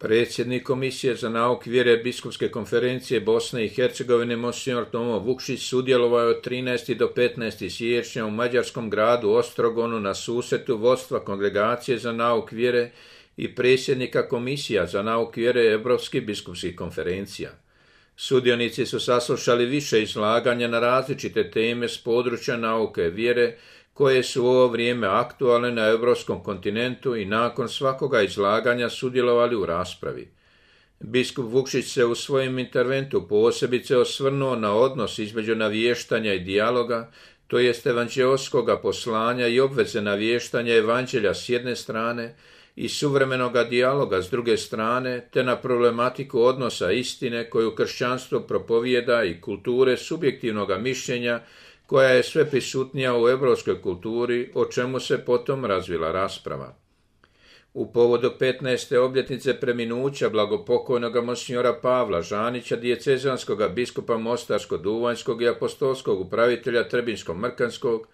Predsjednik Komisije za nauku vjere Biskupske konferencije Bosne i Hercegovine Monsignor Tomo Vukšić sudjelovao je od 13. do 15. siječnja u mađarskom gradu Ostrogonu na susretu vodstva Kongregacije za nauku vjere i predsjednika Komisija za nauku vjere Europskih biskupskih konferencija. Sudionici su saslušali više izlaganja na različite teme s područja nauke vjere koje su u ovo vrijeme aktualne na europskom kontinentu i nakon svakoga izlaganja sudjelovali u raspravi. Biskup Vukšić se u svojem interventu posebice osvrnuo na odnos između navještanja i dijaloga, to jest evanđeoskoga poslanja i obveze navještanja evanđelja s jedne strane i suvremenoga dijaloga s druge strane, te na problematiku odnosa istine koju kršćanstvo propovijeda i kulture subjektivnoga mišljenja koja je sve prisutnija u europskoj kulturi, o čemu se potom razvila rasprava. U povodu 15. obljetnice preminuća blagopokojnoga monsignora Pavla Žanića, dijecezanskoga biskupa Mostarsko-Duvanjskog i apostolskog upravitelja Trebinjsko-Mrkanskog,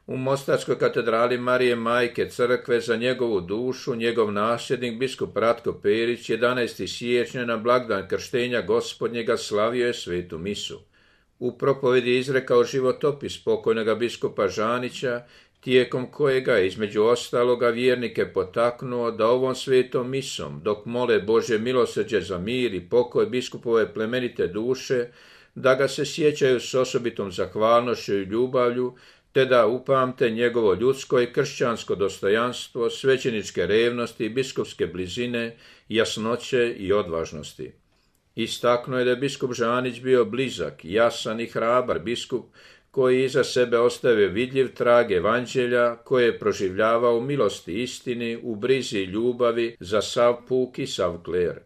u Mostarskoj katedrali Marije Majke Crkve za njegovu dušu, njegov nasljednik biskup Ratko Perić 11. siječnja na blagdan krštenja Gospodnjega slavio je svetu misu. U propovedi izrekao životopis pokojnoga biskupa Žanića, tijekom kojega je između ostaloga vjernike potaknuo da ovom svetom misom, dok mole Božje milosrđe za mir i pokoj biskupove plemenite duše, da ga se sjećaju s osobitom zahvalnošću i ljubavlju, te da upamte njegovo ljudsko i kršćansko dostojanstvo, svećeničke revnosti, biskupske blizine, jasnoće i odvažnosti. Istaknuo je da je biskup Žanić bio blizak, jasan i hrabar biskup koji iza sebe ostavio vidljiv trag evanđelja koje je proživljavao u milosti istini, u brizi i ljubavi za sav puk i sav kler.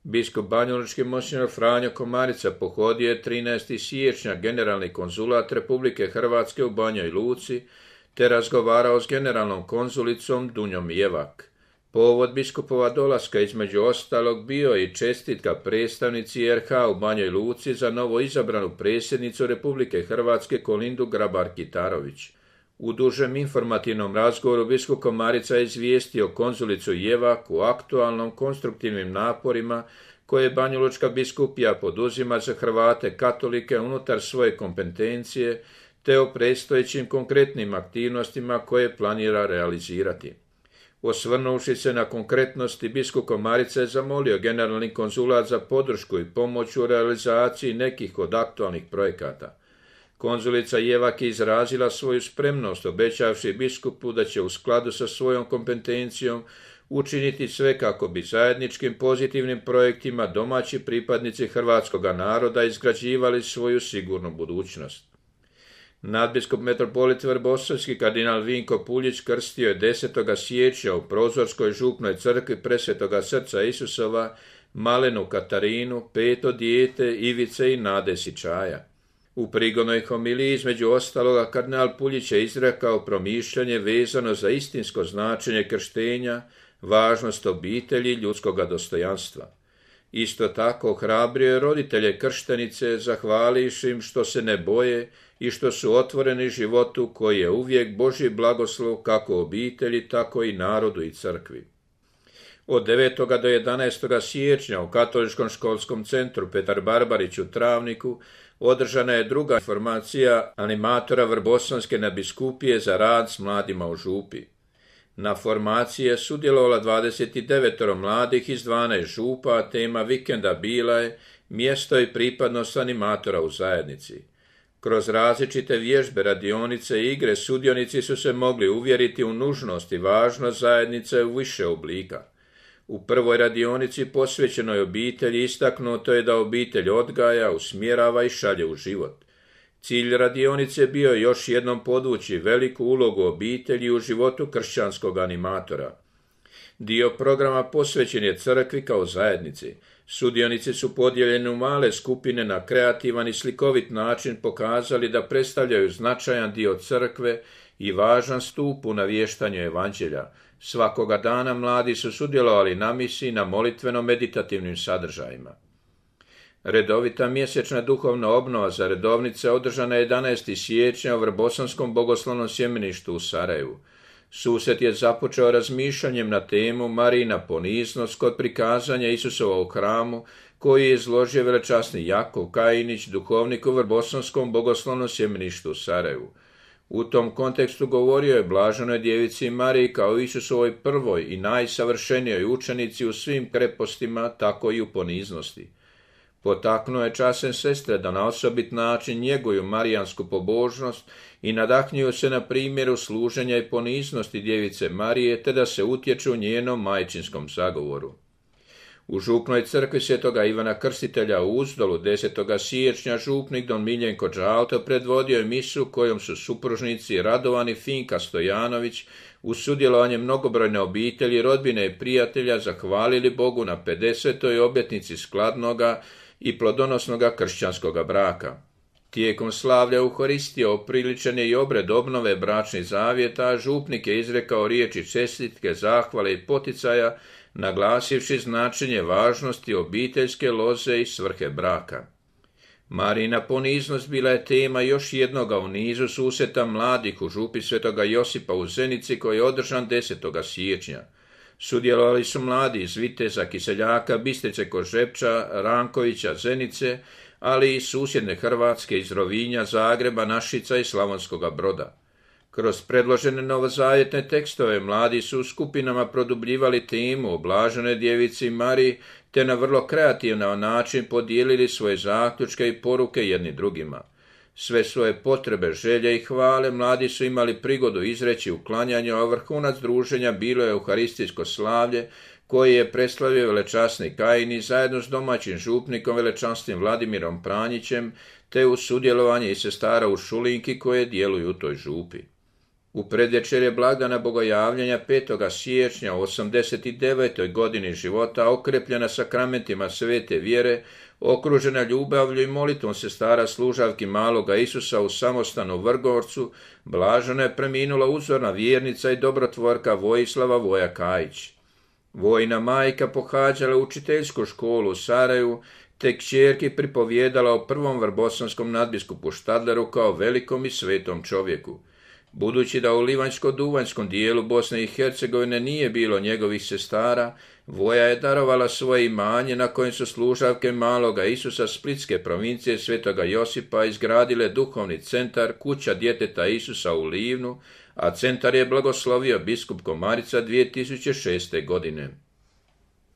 Biskup banjalučki monsignor Franjo Komarica pohodio je 13. siječnja generalni konzulat Republike Hrvatske u Banjoj Luci te razgovarao s generalnom konzulicom Dunjom Jevak. Povod biskupova dolaska između ostalog bio je i čestitka predstavnici RH u Banjoj Luci za novo izabranu predsjednicu Republike Hrvatske Kolindu Grabar-Kitarović. U dužem informativnom razgovoru biskup Komarica je izvijestio konzulicu Jevak o aktualnom konstruktivnim naporima koje banjalučka biskupija poduzima za Hrvate katolike unutar svoje kompetencije te o predstojećim konkretnim aktivnostima koje planira realizirati. Osvrnuvši se na konkretnosti, biskup Komarica je zamolio generalni konzulat za podršku i pomoć u realizaciji nekih od aktualnih projekata. Konzulica Jevak je izrazila svoju spremnost, obećavši biskupu da će u skladu sa svojom kompetencijom učiniti sve kako bi zajedničkim pozitivnim projektima domaći pripadnici hrvatskoga naroda izgrađivali svoju sigurnu budućnost. Nadbiskup metropolit Vrbosavski kardinal Vinko Puljić krstio je 10. siječnja u Prozorskoj župnoj crkvi Presvetoga srca Isusova malenu Katarinu, peto dijete Ivice i Nade Sičaja. U prigodnoj homiliji između ostaloga kardinal Puljić je izrekao promišljanje vezano za istinsko značenje krštenja, važnost obitelji i ljudskoga dostojanstva. Isto tako ohrabrio je roditelje krštenice zahvalivši im što se ne boje i što su otvoreni životu koji je uvijek Božji blagoslov kako obitelji, tako i narodu i crkvi. Od 9. do 11. siječnja u Katoličkom školskom centru Petar Barbarić u Travniku održana je druga informacija animatora Vrbosanske nadbiskupije za rad s mladima u župi. Na formaciji je sudjelovala 29 mladih iz 12 župa, a tema vikenda bila je mjesto i pripadnost animatora u zajednici. Kroz različite vježbe, radionice i igre sudionici su se mogli uvjeriti u nužnost i važnost zajednice u više oblika. U prvoj radionici posvećenoj obitelji istaknuto je da obitelj odgaja, usmjerava i šalje u život. Cilj radionice bio je još jednom podvući veliku ulogu obitelji u životu kršćanskog animatora. Dio programa posvećen je crkvi kao zajednici. Sudionici su podijeljeni u male skupine na kreativan i slikovit način pokazali da predstavljaju značajan dio crkve i važan stup u navještanju evanđelja. Svakoga dana mladi su sudjelovali na misi na molitveno-meditativnim sadržajima. Redovita mjesečna duhovna obnova za redovnice održana je 11. siječnja u Vrbosanskom bogoslovnom sjemeništu u Sarajevu. Susret je započeo razmišljanjem na temu Marijina poniznost kod prikazanja Isusova u hramu, koji je izložio velečasni Jakov Kajinić, duhovnik u Vrbosanskom bogoslovnom sjemeništu u Sarajevu. U tom kontekstu govorio je blaženoj djevici Mariji kao Isusovoj prvoj i najsavršenijoj učenici u svim krepostima, tako i u poniznosti. Potaknuo je časne sestre da na osobit način njeguju marijansku pobožnost i nadahnjuju se na primjeru služenja i poniznosti djevice Marije, te da se utječu njenom majčinskom zagovoru. U župnoj crkvi svetoga Ivana Krstitelja u Uzdolu 10. siječnja župnik don Miljenko Đalto predvodio je misu kojom su supružnici Radovan i Finka Stojanović uz sudjelovanje mnogobrojne obitelji, rodbine i prijatelja zahvalili Bogu na 50. obljetnici skladnoga i plodonosnoga kršćanskoga braka. Tijekom slavlja Euharistije opriličen je i obred obnove bračnih zavjeta, a župnik je izrekao riječi čestitke, zahvale i poticaja, naglasivši značenje važnosti obiteljske loze i svrhe braka. Marijina poniznost bila je tema još jednoga u nizu susreta mladih u župi svetoga Josipa u Zenici koji je održan 10. siječnja. Sudjelovali su mladi iz Viteza, Kiseljaka, Bistrice kod Žepča, Rankovića, Zenice, ali i susjedne Hrvatske iz Rovinja, Zagreba, Našica i Slavonskoga Broda. Kroz predložene novozavjetne tekstove mladi su u skupinama produbljivali temu o blaženoj djevici Mariji, te na vrlo kreativan način podijelili svoje zaključke i poruke jedni drugima. Sve svoje potrebe, želje i hvale mladi su imali prigodu izreći u klanjanju, a vrhunac druženja bilo je euharistijsko slavlje, koje je preslavio velečasni Kajini zajedno s domaćim župnikom velečasnim Vladimirom Pranjićem, te uz sudjelovanje i sestara u Šulinki koje djeluju u toj župi. U predvečerje blagdana Bogojavljenja 5. siječnja u 89. godini života, okrepljena sakramentima svete vjere, okružena ljubavlju i molitvom sestara služavki maloga Isusa u samostanu u Vrgorcu, blaženo je preminula uzorna vjernica i dobrotvorka Vojislava Voja Kajić. Vojina majka pohađala učiteljsku školu u Sarajevu, te kćerki pripovjedala o prvom vrbosanskom nadbiskupu Štadleru kao velikom i svetom čovjeku. Budući da u livanjsko-duvanjskom dijelu Bosne i Hercegovine nije bilo njegovih sestara, Voja je darovala svoje imanje na kojem su služavke maloga Isusa Splitske provincije svetoga Josipa izgradile duhovni centar Kuća djeteta Isusa u Livnu, a centar je blagoslovio biskup Komarica 2006. godine.